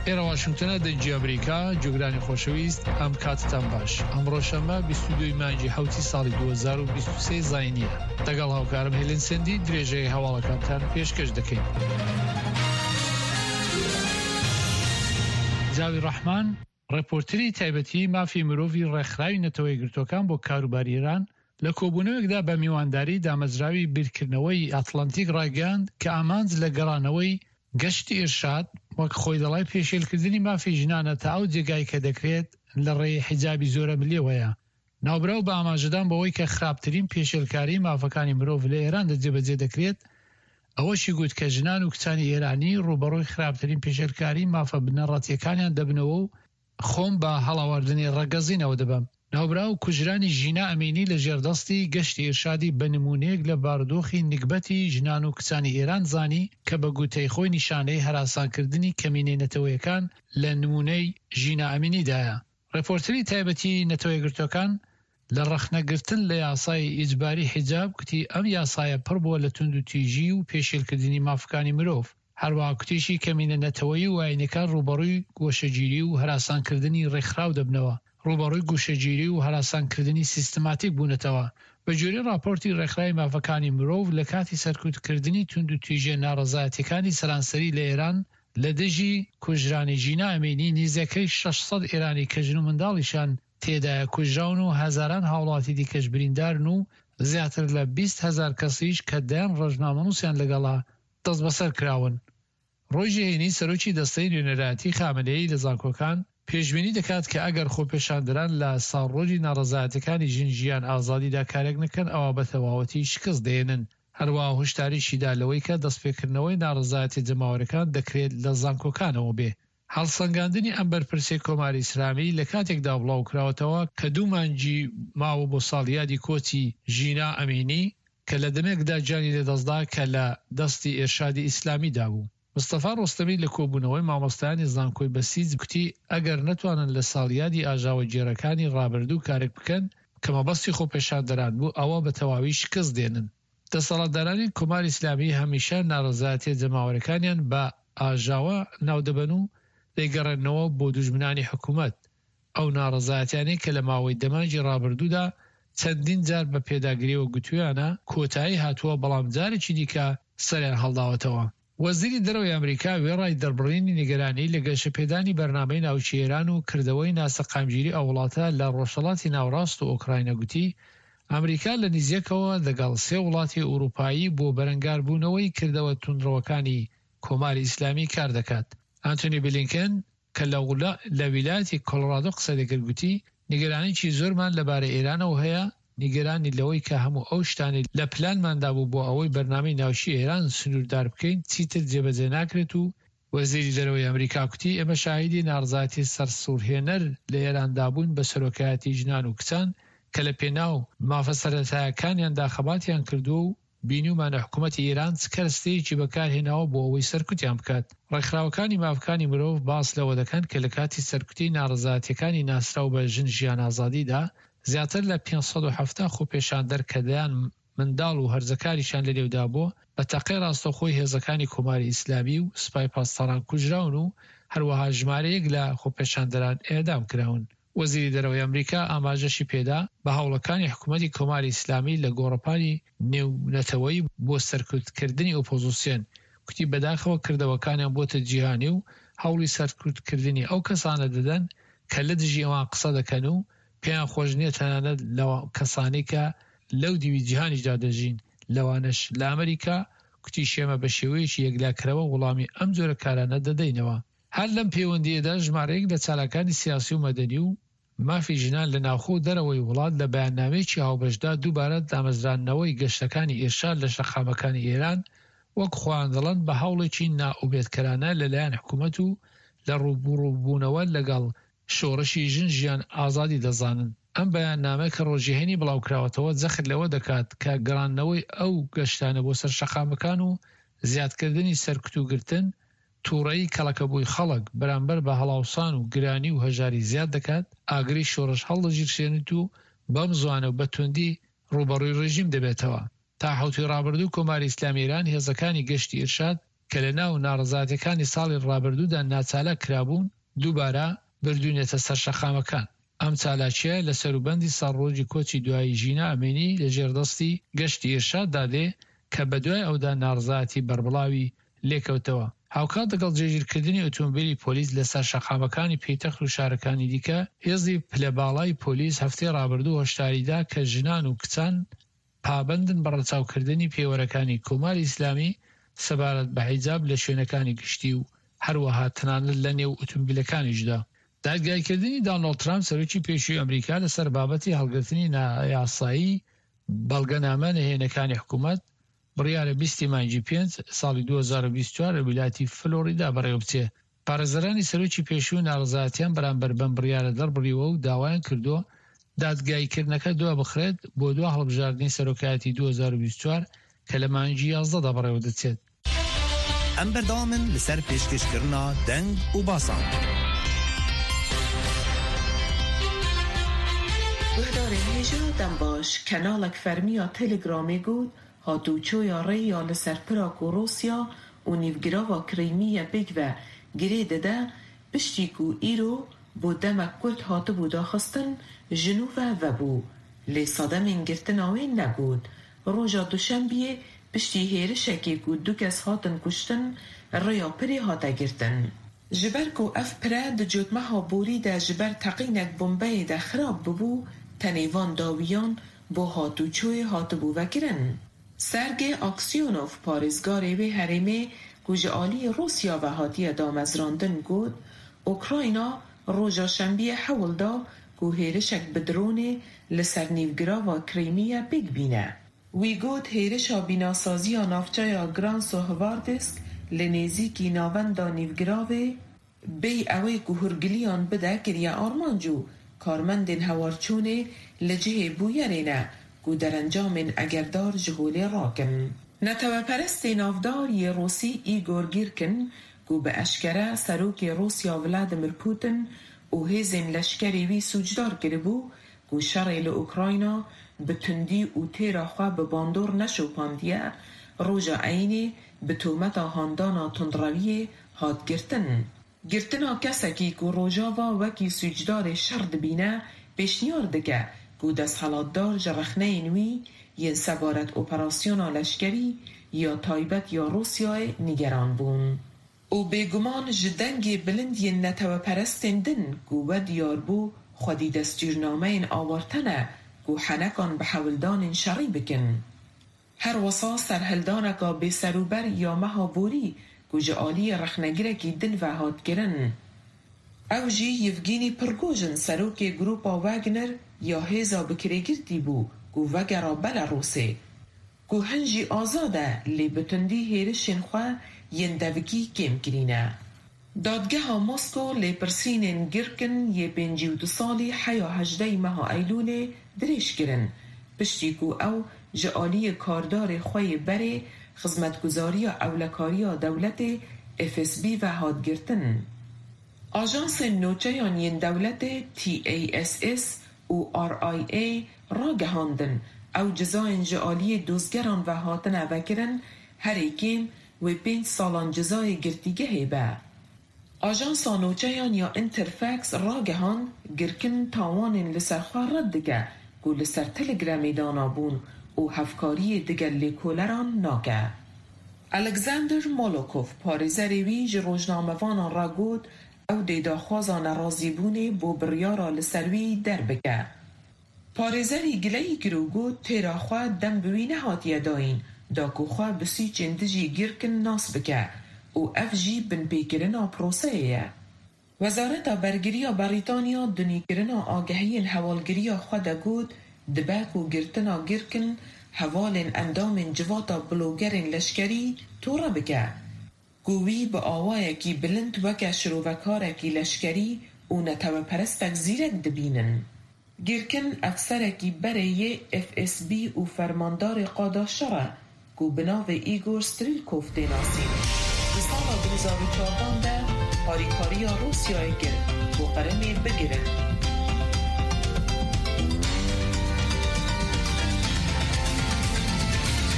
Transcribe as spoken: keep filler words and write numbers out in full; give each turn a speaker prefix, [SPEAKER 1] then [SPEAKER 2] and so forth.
[SPEAKER 1] ئێرە واشنگتنە، دەنگی ئەمریکا. گوێگرانی خۆشەویست، ئەم کاتتان باش. ئەمڕۆ شەممە بیست و دوو ی مانگی حەوتی ساڵی دوو هەزار و بیست و سێ زاینییە. لەگەڵ هاوکارم هێلین سندی درێژەی هەواڵەکانتان پێشکەش دەکەین. جاوی ڕەحمان، ڕێپۆرتری تایبەتی مافی مرۆڤی ڕێکخراوی نەتەوە یەکگرتووەکان بۆ کاروباری ئێران، لە کۆبوونەوەیەکدا بە میوانداری دامەزراوی بیرکردنەوەی ئەتڵەنتیک ڕایگەیاند کە ئامانج لە گەڕانەوەی گەشتی ئیرشاد وەک خۆی دەڵێ پێشێلکردنی مافی ژنانە تا ئەو جێگای کە دەکرێت لە ڕێی حیجابی زۆرەملێوەیە. ناوبراو بە ئاماژەدان بەوەی کە خراپترین پێشێلکاریی مافەکانی مرۆڤ لە ئێراندا جێبەجێ دەکرێت، ئەوەشی گوت کە ژنان و کچانی ئێرانی ڕووبەڕووی خراپترین پێشێلکاریی مافە بنەڕەتییەکانیان دەبنەوە و خۆم بە هەڵاواردنی ڕەگەزی ناودەبەم. ناوبراو کوژرانی ژینا ئەمینی لە ژێر دەستی گەشتی ئیرشادی بە نموونەیەک لە بارودۆخی نگبەتی ژنان و کچانی ئێران زانی کە بە گوتەی خۆی نیشانەی هەراسانکردنی کەمینەی نەتەوەیەکان لە نموونەی ژینا ئەمینیدایە. ڕێپۆرتری تایبەتی نەتەوەیەکگرتووەکان لە ڕەخنەگرتن لە یاسای ئیجباری حیجاب گوتی ئەم یاسایە پڕ بووە لە توندوتیژی و پێشێلکردنی مافەکانی مرۆڤ. هەروەها کوتیشی کەمینە نەتەوەیی و ئایینەکان ڕووبەڕووی گۆشەگیری و هەراسانکردنی ڕێکخراو دەبنەوە، ڕووبەڕووی گوشەگیری و هەراسانکردنی سیستماتیک بوونەتەوە. بەگوێرەی ڕاپۆرتی ڕێکخراوی مافەکانی مرۆڤ، لە کاتی سەرکوتکردنی توندوتیژیە ناڕەزایەتیەکانی سەرانسەری لە ئێران لە دژی کوژرانی ژینا ئەمینی، نیزەکەی شەش سەد ئێرانی کە ژن و منداڵیشان تێدایە کوژراون و هەزاران هاوڵاتی دیکەش بریندارن و زیاتر لە بیست هەزار کەسیش کە دەیان ڕۆژنامەنووسیان لەگەڵە دەستبەسەر کراون. ڕۆژی هەینی سەرۆکی دەستەی نوێنەرایەتی خامنەیی لە زانکۆکان پێشبینی دەکات کە ئەگەر خۆپێشاندەران لە ساڵڕۆژی ناڕەزایەتیەکانی ژن ژیان ئازادیدا کارێک نەکەن ئەوا بە تەواوەتی شکست دەهێنن. هەروەها هۆشداریشی دا لەوەی کە دەستپێکردنەوەی ناڕەزایەتیە جەماوەرەکان دەکرێت لە زانکۆکانەوە بێ. هەڵسەنگاندنی ئەم بەرپرسەی کۆماری ئیسلامی لە کاتێکدا بڵاوکراوەتەوە کە دوو مانگی ماوە بۆ ساڵیادی کۆچی ژینا ئەمینی کە لە دەمێکدا گیانی لەدەستدا کە لە دەستی ئێرشادی ئیسلامیدا بوو. مستەفا ڕۆستەمی لە کۆبوونەوەی مامۆستایانی زانکۆی بەسیج گوتی ئەگەر نەتوانن لە ساڵیادی ئاژاوەگێڕەکانی ڕابردوو کارێک بکەن کە مەبەستی خۆپێشاندەران بوو ئەوە بە تەواوی شکست دێنن. دەسەڵاتدارانی کۆماری ئیسلامی هەمیشە ناڕەزایەتیە جەماوەرەکانیان بە ئاژاوە ناودەبەن و دەیگەڕێننەوە بۆ دوژمنانی حکومەت. ئەو ناڕەزایەتیانەی کە لە ماوەی دە مانگی ڕابردوودا چەندین جار بە پێداگریەوە گوتویانە کۆتایی هاتووە، بەڵام جارێکی دیکە سەریان هەڵداوەتەوە. وەزیری دەرەوەی ئەمریکا وێڕای دەربڕینی نیگەرانی لە گەشەپێدانی بەرنامەی ناوکی ئێران و کردەوەی ناسەقامگیری ئەو وڵاتە لە ڕۆژهەڵاتی ناوەڕاست و ئۆکراینا گوتی، ئەمریکا لە نزیکەوە لەگەڵ سێ وڵاتی ئورووپایی بۆ بەرەنگاربوونەوەی کردەوە توندڕەوەکانی کۆماری ئیسلامی کار دەکات. ئانتۆنی بلینکن کە لە ویلایەتی کۆلۆرادۆ قسەی دەکرد گوتی، نیگەرانیی زۆرمان لەبارەی ئێرانەوە هەیە، نیگەرانی لەوەی کە هەموو ئەو شتانەی لە پلانماندا بوو بۆ ئەوەی بەرنامەی ناوکی ئێران سنووردار بکەین چیتر جێبەجێ ناکرێت و وەزیری دەرەوەی ئەمریکا کوتی، ئێمە شاهیدی ناڕەزایەتی سەرسوڕهێنەر لە ئێراندا بووین بە سەرۆکایەتی ژنان و کچان کە لە پێناو مافە سەرەتایەکانیاندا خەباتیان کردووە و بینیومانە حکومەتی ئێران چ کەرەستەیەکی بەکارهێناوە بۆ ئەوەی سەرکوتیان بکات. ڕێکخراوەکانی مافەکانی مرۆڤ باس لەوە دەکەن کە لە کاتی سەرکوتی ناڕەزایەتیەکانی ناسراو بە ژن ژیان ئازادیدا زیاتر لە پێنج سەد و حەفتا خۆپێشاندەر کە دەیان منداڵ و هەرزەکاریشیان لەنێودا بووە بە تەقەی ڕاستەوخۆی هێزەکانی کۆماری ئیسلامی و سپای پاسداران کوژراون و هەروەها ژمارەیەک لە خۆپێشاندەران ئێعدام کراون. وەزیری دەرەوەی ئەمریکا ئاماژەشی پێدا بە هەوڵەکانی حکوومەتی کۆماری ئیسلامی لە گۆڕەپانی نێونەتەوەیی بۆ سەرکوتکردنی ئۆپۆزیسیۆن، کوتی بەداخەوە کردەوەکانیان بۆتە جیهانی و هەوڵی سەرکوتکردنی ئەو کەسانە دەدەن کە لە دژی ئەوان قسە دەکەن و پێیان خۆش نییە تەنانەت لە کەسانی کە لەو دیوی جیهانیشدا دەژین لەوانەش لە ئەمریکا، کوتیشی ئێمە بە شێوەیەکی یەکلاکەرەوە وڵامی ئەم جۆرە کارانە دەدەینەوە. هەر لەم پەیوەندییەدا ژمارەیەک لە چالاکانی سیاسی و مەدەنی و مافی ژنان لە ناوخۆ و دەرەوەی وڵات لە بەیاننامەیەکی هاوبەشدا دووبارە دامەزراندنەوەی گەشتەکانی ئیرشاد لە شەقامەکانی ئێران وەک خۆیان دەڵێن بە هەوڵێکی نائومێدکەرانە لەلایەن حکوومەت و لە ڕووبوڕووبوونەوە لەگەڵ شۆڕشی ژن ژیان ئازادی دەزانن. ئەم بەیاننامە کە ڕۆژی هەینی بڵاوکراوەتەوە جەخت لەوە دەکات کە گەڕاندنەوەی ئەو گەشتانە بۆ سەر شەقامەکان و زیادکردنی سەرکوت و گرتن تووڕەیی کەڵەکەبووی خەڵک بەرامبەر بە هەڵاوسان و گرانی و هەژاری زیاد دەکات، ئاگری شۆڕش هەڵدەگیرسێنێت و بەم زوانە و بە توندی ڕووبەڕووی ڕێژیم دەبێتەوە. تا حەوتووی ڕابردوو کۆماری ئیسلامی ئێران هێزەکانی گەشتی ئیرشاد کە لە ناو ناڕەزایەتیەکانی ساڵی ڕابردوودا ناچالاک کرابوون، دووبارە بردوونیەتە سەر شەقامەکان. ئەم چالاکییە لە سەروبەندی ساڵڕۆژی کۆچی دوایی ژینا ئەمینی لە ژێر دەستی گەشتی ئیرشاددا دێ کە بەدوای ئەودا ناڕەزایەتی بەربڵاوی لێکەوتەوە. هاوکات لەگەڵ جێگیرکردنی ئۆتۆمبیلی پۆلیس لەسەر شەقامەکانی پێتەخت و شارەکانی دیکە، هێزی پلە باڵای پۆلیس هەفتەی ڕابردوو هۆشداریدا کە ژنان و کچان پابەندن بە ڕەچاوکردنی پێوەرەکانی کۆماری ئیسلامی سەبارەت بە حیجاب لە شوێنەکانی گشتی و هەروەها تەنانەت لە نێو ئۆتۆمبیلەکانیشدا. دادگایکردنی دانۆڵد ترامپ سەرۆکی پێشووی ئەمریکا لەسەر بابەتی هەڵگرتنی نایاسایی بەڵگەنامە نهێنەکانی حکوومەت بڕیارە بیستی مانگی پێنج ساڵی دوو هەزار و بیست و چوار لە ویلایەتی فلۆریدا بەڕێوەبچێ. پارێزەرانی سەرۆکی پێشوو ناڕەزایەتیان بەرامبەر بەم بڕیارە دەربڕیوە و داوایان کردووە دادگاییکردنەکە دوا بخرێت بۆ دوا هەڵبژاردنی سەرۆکایەتی دوو هەزار و بیست و چوار کە لە مانگی یازدەدا بەڕێوەدەچێت.
[SPEAKER 2] ئەم بەردەوامن لەسەر پێشکەشکردنا دەنگ و باسان.
[SPEAKER 3] گوهدارên hêja dembaş kanalek fermî ya Telegramê got hatûçoya rê ya li ser pira ku Rûsya û nîvgirava Krîmiye pêk ve girê dide piştî ku îro bo demek kurt hatibû daxistin ji nû ve vebû. Lê sedemên girtina wê negot. Roja Duşembiyê piştî hêrişekê ku du kes hatin kuştin rêya pirê hate girtin. Ji ber ku ev pire di cotmeha borî de ji ber teqînek bombeyê de xirab bûbû, tenê van dawiyan bo hatûçoyê hatibû vekirin. Sergey Aksyonov parêzgarê wê herêmê ku ji aliyê Rûsya ve hatiye damezrandin got, Ukrayna roja şembiyê hewl da ku hêrişek bi dronê li ser nîvgirava Krîmiye pêk bîne. Wî got hêrişa bînasaziya navçeya Gransohvardisk li nêzîkî navenda nîvgiravê bêy ew ê ku hûrgiliyan bide kiriye armanc û karmendên hewarçûnê li cihê bûyerê ne ku derencamên egerdar ji holê rakin. Neteweperestê navdar yê Rûsî Igor Girkin ku bi eşkere serokê Rûsya Vladimir Putin û hêzên leşkerê wî sûcdar kiribû ku şerê li Ukrayna bi tundî û têra xwe bi bandor neşopandiye, roja eynê bi tometa handana tundrewiyê hat girtin. Girtina kesekî ku Rojava wekî sûcdarê şer dibîne pêşniyar dike ku desthilatdar ji rexneyên wî yên sebaret operasyona leşkerî ya taybet ya Rûsyayê nîgeran bûn. Û bêguman ji dengê bilind yên neteweperestên din ku we diyar bû xwedî destûrnameyên awarte ne ku henekan bi hewldanên şerî bikin. Her wisa serhildaneka bêserûber ya meha borî ku ji aliyê rexnegirekî din ve hat kirin. Ew jî Yevgeny Prigojin serokê Grûpa Wagner ya hêza bi kirêgirtî bû ku vegera Belarûsê ku hin jî azad e lê bi tundî hêrişên xwe yên devikî kêm kirîne. Dadgeha Moskow lêpirsînên Girkin yê pêncî û du salî heya hejdeh meha Eylûlê dirêj kirin piştî ku ew ji aliyê kardarê xwe yê berê xizmetguzariya ewlekariya dewletê F S B ve hat girtin. Ajansên nûçeyan yên dewletê T A S S û R I A ragihandin ew cezayên ji aliyê dozgeran ve hatine vekirin herî kêm wê pênc salan cezayê girtîgehê be. Ajansa nûçeyan ya Interfax ragihand Girkin tawanên li ser xwe red dike ku li ser Telegramê danabûn û hevkariyê digel lêkoleran nake. Alexander Molokov parêzerê wî ji rojnamevanan re got ew dê daxwaza nerazîbûnê bo biryara li ser wî derbike. Parêzerî gileyî kir û got têra xwe dem bi wî nehatiye dayîn da ku xwe bi sûcên dijî Girkin nas bike û ev jî binpêkirina proseyê ye. Wezareta Bergiriya Brîtanya dunîkirina agahiyên hewalgiriya xwe de got dibe ku girtina Girkin hevalên endamên civata blogerên leşkerî tore bike ku wî bi awayekî bilind weke şirovekarekî leşkerî û neteweperestek zîrek dibînin. Girkin efserekî berê yê F S B û fermandarê qada şer e ku bi navê Igor Strelkov tê nasîn. Di sala du hezar û çardan de harîkariya Rûsyayê kir ku Qrimê bigirin.